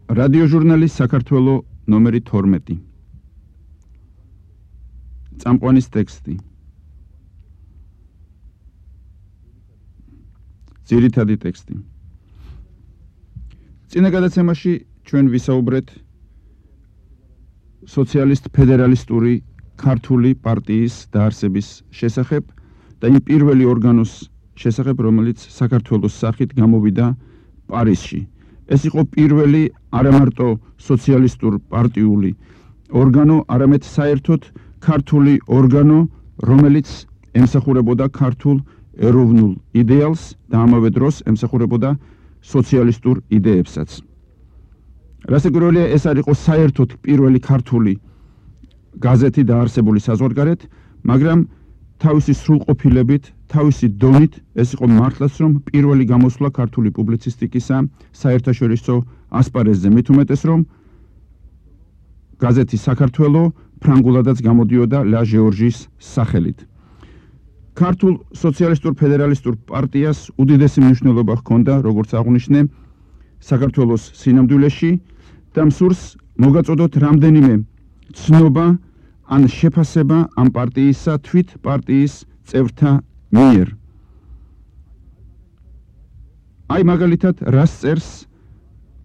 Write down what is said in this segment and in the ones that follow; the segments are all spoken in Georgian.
რადიოჟურნალი საქართველო ნომერი 12. წამყვანის ტექსტი. ძირითადი ტექსტი. წინა გადაცემაში ჩვენ ვისაუბრეთ სოციალისტ-ფედერალისტური ქართული პარტიის დაარსების შესახებ და იმ პირველი ორგანოს შესახებ, რომელიც საქართველოს სახით გამოვიდა პარიზში. ეს იყო პირველი არამარტო სოციალისტურ პარტიული ორგანო, არამედ საერთოდ ქართული ორგანო, რომელიც ემსახურებოდა ქართულ ეროვნულ იდეალს და ამავე დროს ემსახურებოდა სოციალისტურ იდეებსაც. რასაკვირველია, ეს არ იყო საერთოდ პირველი ქართული გაზეთი დაარსებული საზღვარგარეთ, მაგრამ თავისი სრულყოფილებით, თავისი დონით ეს იყო მართლაც, რომ პირველი გამოსვლა ქართული პუბლიცისტიკისა საერთაშორისო ასპარეზზე, მით უმეტეს, რომ გაზეთი საქართველო ფრანგულადაც გამოდიოდა ლა ჟეორჟის სახელით. ქართულ სოციალისტურ ფედერალისტურ პარტიას უდიდესი მნიშვნელობა ჰქონდა, როგორც აღვნიშნე, საქართველოს სინამდვილეში და მსურს მოგაწოდოთ რამდენიმე ცნობა ან შეფასება ამ პარტიისა თვით პარტიის წევრთა მიერ. აი მაგალითად, რას წერს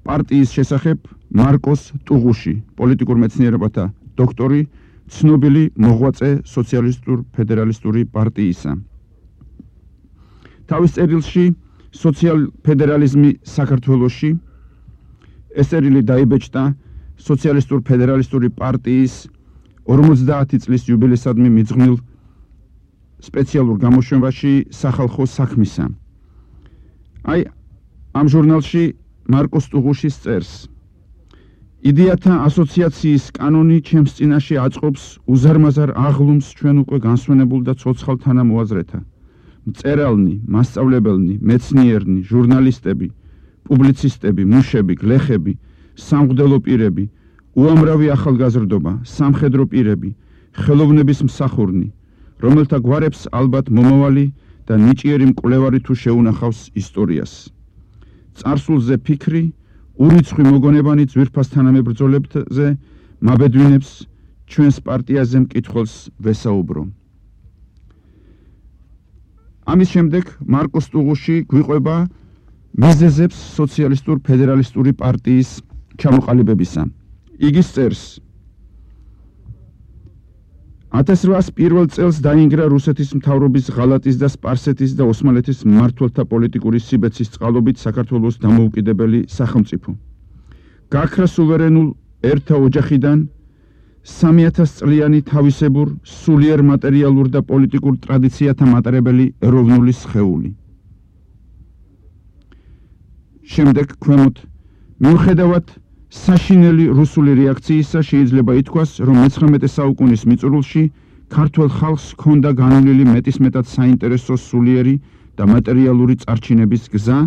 პარტიის შესახებ მარკოს ტუღუში, პოლიტიკურ მეცნიერებათა დოქტორი, ცნობილი მოღვაწე სოციალისტურ ფედერალისტური პარტიისა. თავის წერილში სოციალ-ფედერალიზმი საქართველოში ეს წერილი დაიბეჭდა სოციალისტურ ფედერალისტური პარტიის 50 წლის იუბილეისადმი მიძღვნილ სპეციალურ გამოშვებაში სახალხო საქმისა. აი ამ ჟურნალში მარკოს ტუღუშის წერს: იდეათა ასოციაციის კანონი ჩემს წინაშე აწყობს უზარმაზარ აღლუმს ჩვენ უკვე განსვენებულ და ცოცხალ თანამოაზრეთა. მწერალნი, მასწავლებელნი, მეცნიერნი, ჟურნალისტები, პუბლიცისტები, მუშები, გლეხები, სამღვდელო პირები, უამრავი ახალგაზრდობა, სამხედრო პირები, ხელოვნების მსახურნი, რომელთა გვარებს ალბათ მომავალი და ნიჭიერი მკვლევარი თუ შეუნახავს ისტორიას. წარსულზე ფიქრი, ურიცხვი მოგონებანი ძვირფას თანამებრძოლებზე მაბედვინებს, ჩვენს პარტიაზე მკითხველს ვესაუბრო. ამის შემდეგ მარკოს ტუღუში გვიყვება მიზეზებს სოციალისტურ ფედერალისტური პარტიის ჩამოყალიბებისა. იგი წერს: 1801 წელს დაინგრა რუსეთის მთავრობის ღალატის და სპარსეთის და ოსმალეთის მმართველთა პოლიტიკური სიბეცის წყალობით საქართველოს დამოუკიდებელი სახელმწიფო. გაქრა სუვერენულ ერთა ოჯახიდან 3000 წლიანი თავისებურ, სულიერ მატერიალურ და პოლიტიკურ ტრადიციათა მატარებელი ეროვნული სხეული. შემდეგ ქვემოთ, მიუხედავად საშინელი რუსული რეაქციისა შეიძლება ითქვას, რომ 19 საუკუნის მიწურულში ქართველ ხალხს ჰქონდა განვლილი მეტისმეტად საინტერესო სულიერი და მატერიალური წარჩინების გზა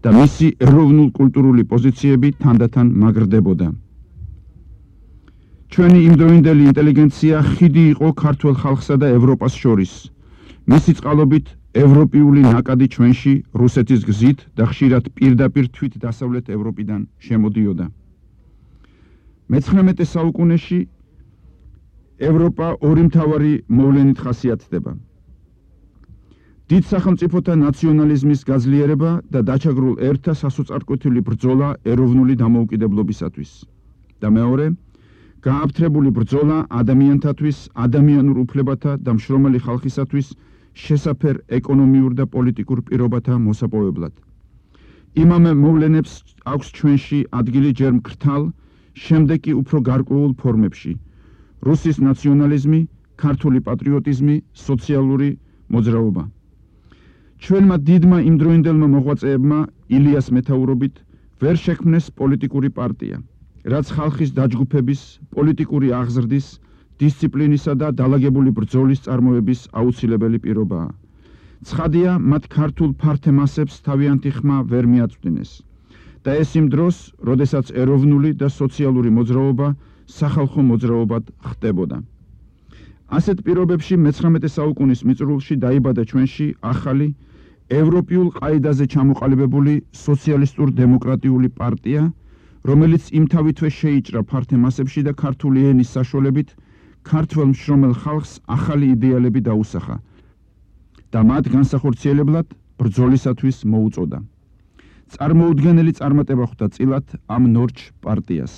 და მისი ეროვნულ-კულტურული პოზიციები თანდათან მაგრდებოდა. ჩვენი იმდროინდელი ინტელიგენცია ხიდი იყო ქართველ ხალხსა და ევროპას შორის. მისი წყალობით ევროპიული ნაკადი ჩვენში რუსეთის გზით და ხშირად პირდაპირ თვით დასავლეთ ევროპიდან შემოდიოდა. მე-19 საუკუნეში ევროპა ორი მთავარი მოვლენით ხასიათდება: დიდ სახელმწიფოთა ნაციონალიზმის გაძლიერება და დაჩაგრულ ერთა სასოწარკვეთილი ბრძოლა ეროვნული დამოუკიდებლობისათვის და მეორე, გააფთრებული ბრძოლა ადამიანთათვის, ადამიანურ უფლებათა და მშრომელი ხალხისათვის შესაფერ ეკონომიურ და პოლიტიკურ პირობათა მოსაპოვებლად. იმავე მოვლენებს აქვს ჩვენში ადგილი ჯერ მკრთალ, შემდეგ კი უფრო გარკვეულ ფორმებში: რუსის ნაციონალიზმი, ქართული პატრიოტიზმი, სოციალური მოძრაობა. ჩვენმა დიდმა იმდროინდელმა მოღვაწეებმა ილიას მეთაურობით ვერ შექმნეს პოლიტიკური პარტია, რაც ხალხის დაჯგუფების, პოლიტიკური აღზრდის, დისციპლინისა და დალაგებული ბრძოლის წარმოების აუცილებელი პირობაა. ცხადია, მათ ქართულ ფართე მასებს თავიანთი ხმა ვერ მიაწვდინეს და ეს იმ დროს, როდესაც ეროვნული და სოციალური მოძრაობა სახალხო მოძრაობად ხდებოდა. ასეთ პირობებში მე-19 საუკუნის მიწურულში დაიბადა ჩვენში ახალი ევროპიულ ყაიდაზე ჩამოყალიბებული სოციალისტურ-დემოკრატიული პარტია, რომელიც იმთავითვე შეიჭრა ფართე მასებში და ქართული ენის საშუალებით ქართველ მშრომელ ხალხს ახალი იდეალები დაუსახა და მათ განსახორციელებლად ბრძოლისათვის მოუწოდა. წარმოუდგენელი წარმატება ხვდა წილად ამ ნორჩ პარტიას.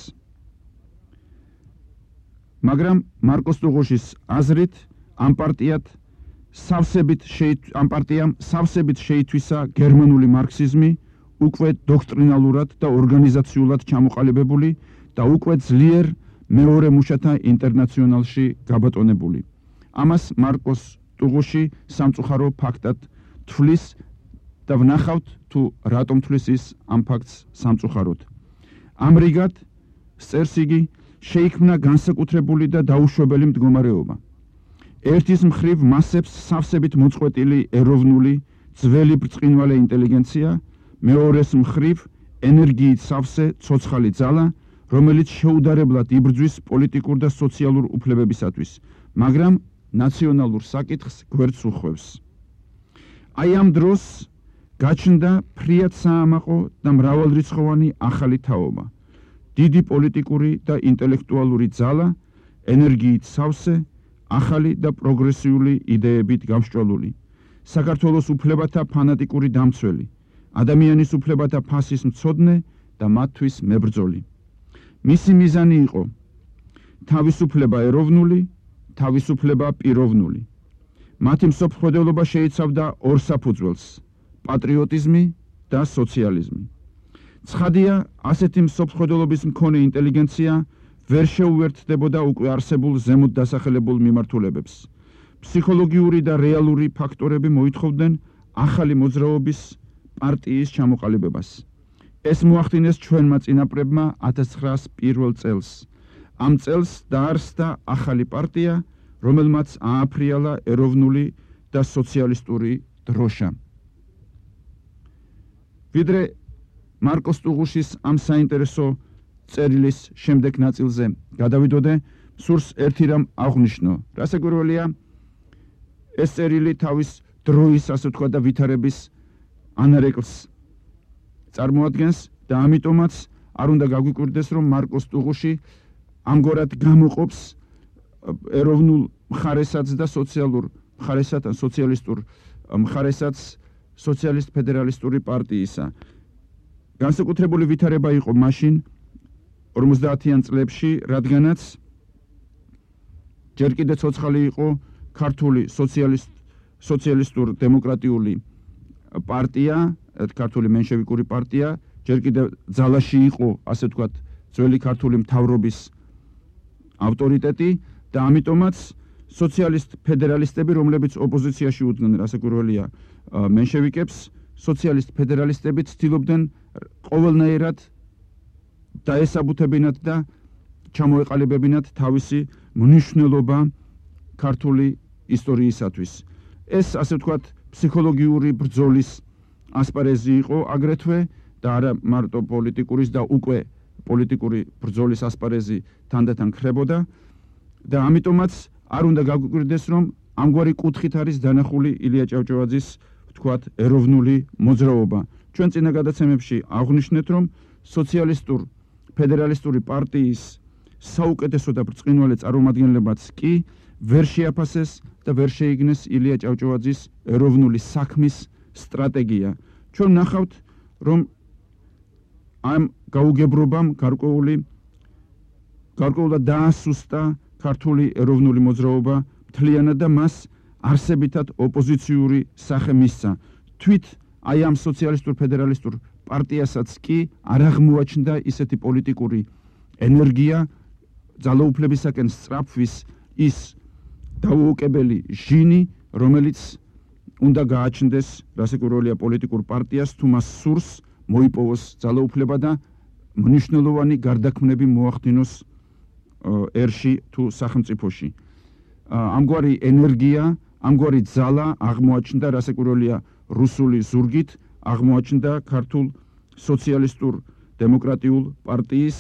მაგრამ მარკოს ტუღუშის აზრით ამ პარტიამ სავსებით შეითვისა გერმანული მარქსიზმი, უკვე დოქტრინალურად და ორგანიზაციულად ჩამოყალიბებული და უკვე ძლიერ მეორე მუშათა ინტერნაციონალში გაბატონებული. ამას მარკოს ტუღუში სამწუხარო ფაქტად თვლის და ვნახავთ თუ რატომ თვლის ის ამ ფაქტს სამწუხაროდ. ამრიგად, წერს იგი, შეიქმნა განსაკუთრებული და დაუშვებელი მდგომარეობა. ერთის მხრივ მასებს სავსებით მოწყვეტილი ეროვნული, ძველი ბრწყინვალე ინტელიგენცია, მეორეს მხრივ ენერგიით სავსე ცოცხალი ძალა, რომელიც შეუდარებლად იბრძვის პოლიტიკურ და სოციალურ უფლებებისათვის, მაგრამ ნაციონალურ საკითხს გვერდს უხვევს. აი ამ დროს გაჩნდა ფრიად საამაყო და მრავალრიცხოვანი ახალი თაობა. დიდი პოლიტიკური და ინტელექტუალური ძალა, ენერგიით სავსე, ახალი და პროგრესიული იდეებით გამსჭვალული, საქართველოს უფლებათა ფანატიკური დამცველი, ადამიანის უფლებათა ფასის მცოდნე და მათთვის მებრძოლი. მისი მიზანი იყო თავისუფლება ეროვნული, თავისუფლება პიროვნული. მათი მსოფლმხედველობა შეიცავდა ორ საფუძველს: პატრიოტიზმი და სოციალიზმი. ცხადია, ასეთი მსოფლმხედველობის მქონე ინტელიგენცია ვერ შეუერთდებოდა უკვე არსებულ ზემოთ დასახელებულ მიმართულებებს. ფსიქოლოგიური და რეალური ფაქტორები მოითხოვდნენ ახალი მოძრაობის პარტიის ჩამოყალიბებას. ეს მოახდინეს ჩვენმა წინაპრებმა 1901 წელს. ამ წელს დაარსდა ახალი პარტია, რომელმაც ააფრიალა ეროვნული და სოციალისტური დროშა. ვიდრე მარკოს ტუღუშის ამ საინტერესო წერილის შემდეგ ნაწილზე გადავიდოდე, სურს ერთი რამ აღვნიშნო. რასაკვირველია, ეს წერილი თავის დროის, ასე ვთქვა და ვითარების ანარეკლს წარმოადგენს და ამიტომაც არ უნდა გაგვიკვირდეს, რომ მარკოს ტუღუში ამგვარად გამოყოფს ეროვნულ მხარესაც და სოციალურ მხარესაც, სოციალისტურ მხარესაც სოციალისტ-ფედერალისტური პარტიისა. განსაკუთრებული ვითარება იყო მაშინ 50-იან წლებში, რადგანაც ჯერ კიდევ ცოცხალი იყო ქართული სოციალისტურ დემოკრატიული პარტია, ქართული მენშევიკური პარტია, ჯერ კიდევ ძალაში იყო, ასე ვთქვათ, ძველი ქართული მთავრობის ავტორიტეტი და ამიტომაც სოციალისტ-ფედერალისტები, რომლებიც ოპოზიციაში უდგნენ, რასაკვირველია, მენშევიკებს, სოციალისტ-ფედერალისტები ცდილობდნენ ყოველნაირად დაესაბუთებინათ და ჩამოეყალიბებინათ თავისი მნიშვნელობა ქართული ისტორიისათვის. ეს, ასე ვთქვათ, ფსიქოლოგიური ბრძოლის ასპარეზი იყო აგრეთვე და არა მარტო პოლიტიკურის და უკვე პოლიტიკური ბრძოლის ასპარეზი თანდათან ქრებოდა და ამიტომაც არ უნდა გაგვიკვირდეს, რომ ამგვარი კუთხით არის დანახული ილია ჭავჭავაძის, ვთქვათ, ეროვნული მოძრაობა. ჩვენ წინა გადაცემებში აღვნიშნეთ, რომ სოციალისტურ ფედერალისტური პარტიის საუკეთესო და ბრწყინვალე წარმომადგენლებაც კი ვერ შეაფასეს და ვერ შეიგნეს ილია ჭავჭავაძის ეროვნული საქმის სტრატეგია. ჩვენ ნახავთ, რომ ამ გაუგებრობამ გარკვეულად დაასუსტა ქართული ეროვნული მოძრაობა მთლიანად და მას არსებითად ოპოზიციური სახე მისცა. თვით აი ამ სოციალისტურ ფედერალისტურ პარტიასაც კი არ აღმოაჩნდა ისეთი პოლიტიკური ენერგია, ძალაუფლებისაკენ სწრაფვის ის დაუოკებელი ჟინი, რომელიც უნდა გააჩნდეს, რასაკვირველია, პოლიტიკურ პარტიას, თუ მას სურს მოიპოვოს ძალაუფლება და მნიშვნელოვანი გარდაქმნები მოახდინოს ერში თუ სახელმწიფოში. ამგვარი ენერგია, ამგვარი ძალა აღმოაჩნდა, რასაკვირველია, რუსული ზურგით აღმოაჩნდა ქართულ სოციალისტურ დემოკრატიულ პარტიის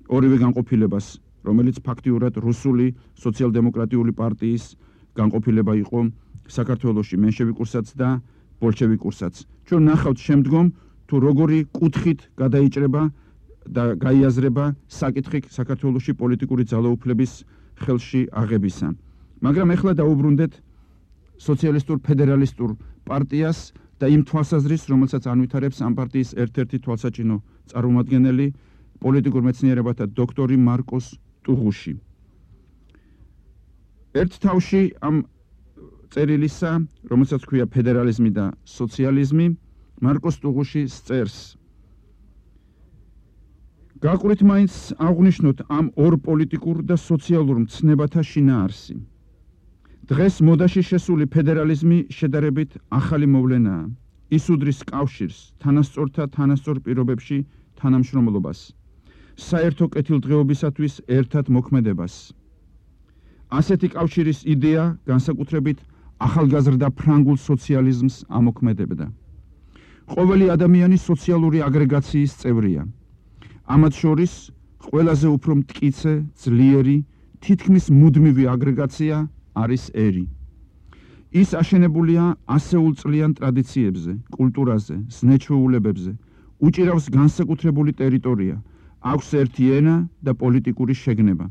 ორივე განყოფილებას, რომელიც ფაქტიურად რუსული სოციალ-დემოკრატიული პარტიის განყოფილება იყო საქართველოში, მენშევიკურსაც და ბოლშევიკურსაც. ჩვენ ნახავთ შემდგომ, თუ როგორი კუთხით გადაიჭრება და გაიაზრება საკითხი საქართველოში პოლიტიკური ძალაუფლების ხელში აღებისა. მაგრამ ეხლა დაუბრუნდეთ სოციალისტურ ფედერალისტურ პარტიას და იმ თვალსაზრისს, რომელსაც ანვითარებს ამ პარტიის ერთ-ერთი თვალსაჩინო წარმომადგენელი, პოლიტიკურ მეცნიერებათა დოქტორი მარკოს ტუღუში. ერთ თავში ამ წერილისა, რომელსაც ქვია ფედერალიზმი და სოციალიზმი, მარკოს ტუღუში წერს: გაყვრით მაინც აღვნიშნოთ ამ ორ პოლიტიკურ და სოციალურ მცნებათა შინაარსი. დღეს მოდაში შესული ფედერალიზმი შედარებით ახალი მოვლენაა. ის უდრის კავშირს, თანასწორთა თანასწორ პირობებში თანამშრომლობას, საერთო კეთილდღეობისათვის ერთად მოქმედებას. ასეთი კავშირის იდეა განსაკუთრებით ახალგაზრდა ფრანგულ სოციალიზმს ამოქმედებდა. ყოველი ადამიანი სოციალური აგრეგაციის წევრია. ამათ შორის ყველაზე უფრო მტკიცე, ძლიერი, თითქმის მუდმივი აგრეგაცია არის ერი. ის აშენებულია ასეულწლიან ტრადიციებზე, კულტურაზე, ზნეჩვეულებებზე, უჭირავს განსაკუთრებული ტერიტორია, აქვს ერთი ენა და პოლიტიკური შეგნება.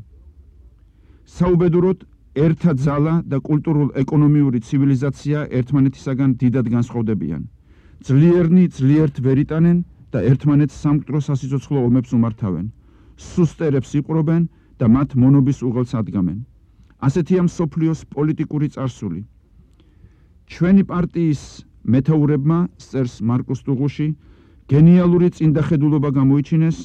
საუბედუროდ, ერთა ძალა და კულტურულ-ეკონომიური ცივილიზაცია ერთმანეთისაგან დიდად განსხვავდებიან. ძლიერნი ძლიერთ ვერ იტანენ და ერთმანეთს სამკვდრო სასიცოცხლო ომებს უმართავენ. სუსტერებს იპყრობენ და მათ მონობის უღელს ადგამენ. ასეთია მსოფლიოს პოლიტიკური წარსული. ჩვენი პარტიის მეთაურებმა, წერს მარკოს ტუღუში, გენიალური წინდახედულობა გამოიჩინეს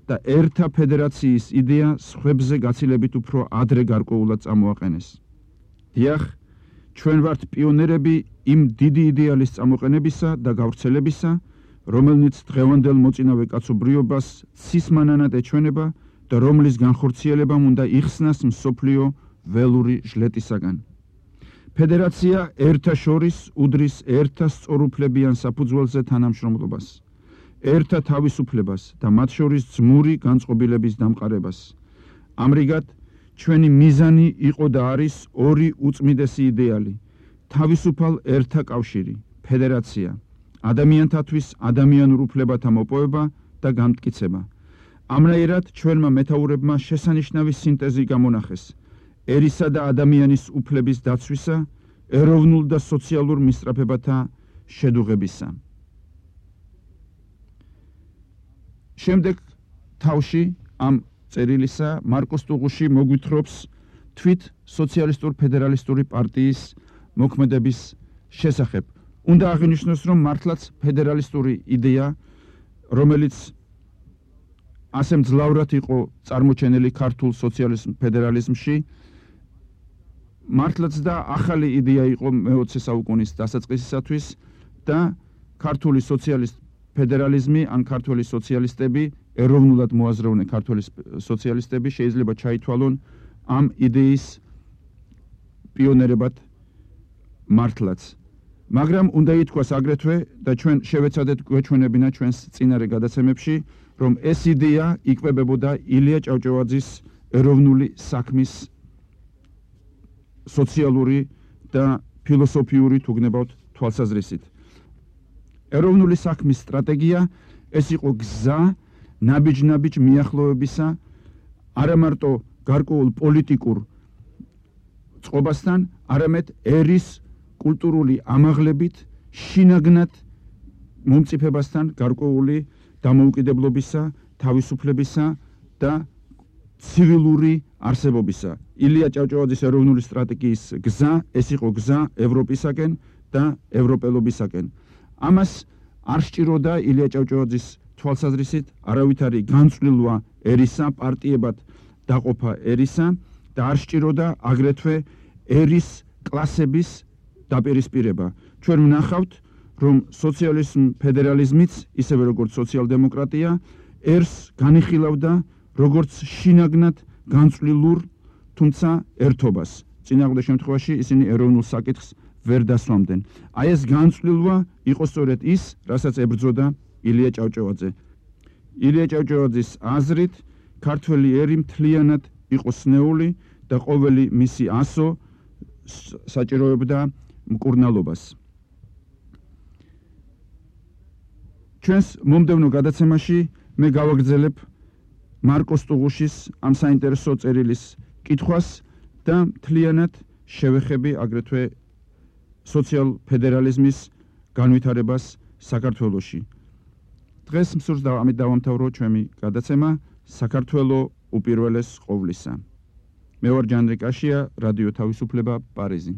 და ერთა ფედერაციის იდეა სხვებზე გაცილებით უფრო ადრე გარკვეულად წამოაყენეს. დიახ, ჩვენ ვართ პიონერები იმ დიდი იდეალის წამოყენებისა და გავრცელებისა, რომელნიც დღევანდელ მოწინავე კაცობრიობას ცისმანანად ეჩვენება და რომლის განხორციელებამ უნდა იხსნას მსოფლიო ველური ჟლეტისაგან. ფედერაცია ერთა შორის უდრის ერთა სწორუფლებიან საფუძველზე თანამშრომლობას, ერთა თავისუფლებას და მათ შორის ძმური განწყობილების დამყარებას. ამრიგად, ჩვენი მიზანი იყო და არის ორი უწმიდესი იდეალი: თავისუფალ ერთა კავშირი, ფედერაცია, ადამიანთათვის ადამიანურ უფლებათა მოპოვება და განმტკიცება. ამნაირად ჩვენმა მეთაურებმა შესანიშნავი სინტეზი გამონახეს ერისა და ადამიანის უფლების დაცვისა, ეროვნულ და სოციალურ მისწრაფებათა შედუღებისა. შემდეგ თავში ამ წერილისა მარკოს ტუღუში მოგვითხრობს თვით სოციალისტურ ფედერალისტური პარტიის მოქმედების შესახებ. უნდა აღინიშნოს, რომ მართლაც ფედერალისტური იდეა, რომელიც ასე მძლავრად იყო წარმოჩენილი ქართულ სოციალიზმ ფედერალიზმში, მართლაც და ახალი იდეა იყო მე-20 საუკუნის დასაწყისისათვის და ქართული სოციალისტ ფედერალიზმი ან ქართული სოციალისტები, ეროვნულად მოაზროვნე ქართული სოციალისტები შეიძლება ჩაითვალონ ამ იდეის პიონერებად მართლაც. მაგრამ უნდა ითქვას აგრეთვე და ჩვენ შევეცადეთ გვეჩვენებინა ჩვენს წინარე გადაცემებში, რომ ეს იდეა იკვებებოდა ილია ჭავჭავაძის ეროვნული საქმის სოციალური და ფილოსოფიური თუ გნებავთ თვალსაზრისით. ეროვნული საქმის სტრატეგია ეს იყო გზა ნაბიჯ-ნაბიჯ მიახლოებისა არა მარტო გარკვეულ პოლიტიკურ წყობასთან, არამედ ერის კულტურული ამაღლებით, შინაგნად მომწიფებასთან გარკვეული დამოუკიდებლობისა, თავისუფლებისა და ცივილური არსებობისა. ილია ჭავჭავაძის ეროვნული სტრატეგიის გზა ეს იყო გზა ევროპისაკენ და ევროპელობისაკენ. ამას არ სჭიროდა ილია ჭავჭავაძის თვალსაზრისით არავითარი განწვლილვა ერისა, პარტიებად დაყოფა ერისა და არ სჭიროდა აგრეთვე ერის კლასების დაპირისპირება. ჩვენ ვნახავთ, რომ სოციალიზმ ფედერალიზმიც, ისევე როგორც სოციალ-დემოკრატია, ერს განიხილავდა როგორც შინაგნად განწვლილურ, თუმცა ერთობას. წინააღმდეგ შემთხვევაში ისინი ეროვნულ საკითხს ვერ დასვამდნენ. აი ეს განწვლილვა იყო სწორედ ის, რასაც ებრძოდა ილია ჭავჭავაძე. ილია ჭავჭავაძის აზრით, ქართველი ერი მთლიანად იყო სნეული და ყოველი მისი ასო საჭიროებდა მკურნალობას. ჩვენს მომდევნო გადაცემაში მე გავაგრძელებ მარკოს ტუღუშის ამ საინტერესო წერილის კითხვას და მთლიანად შევეხები აგრეთვე სოციალ-ფედერალიზმის განვითარებას საქართველოში. დღეს მსურს ამით დავამთავრო ჩვენი გადაცემა საქართველო უპირველეს ყოვლისა. მე ვარ ჯანრი კაშია, რადიო თავისუფლება, პარიზი.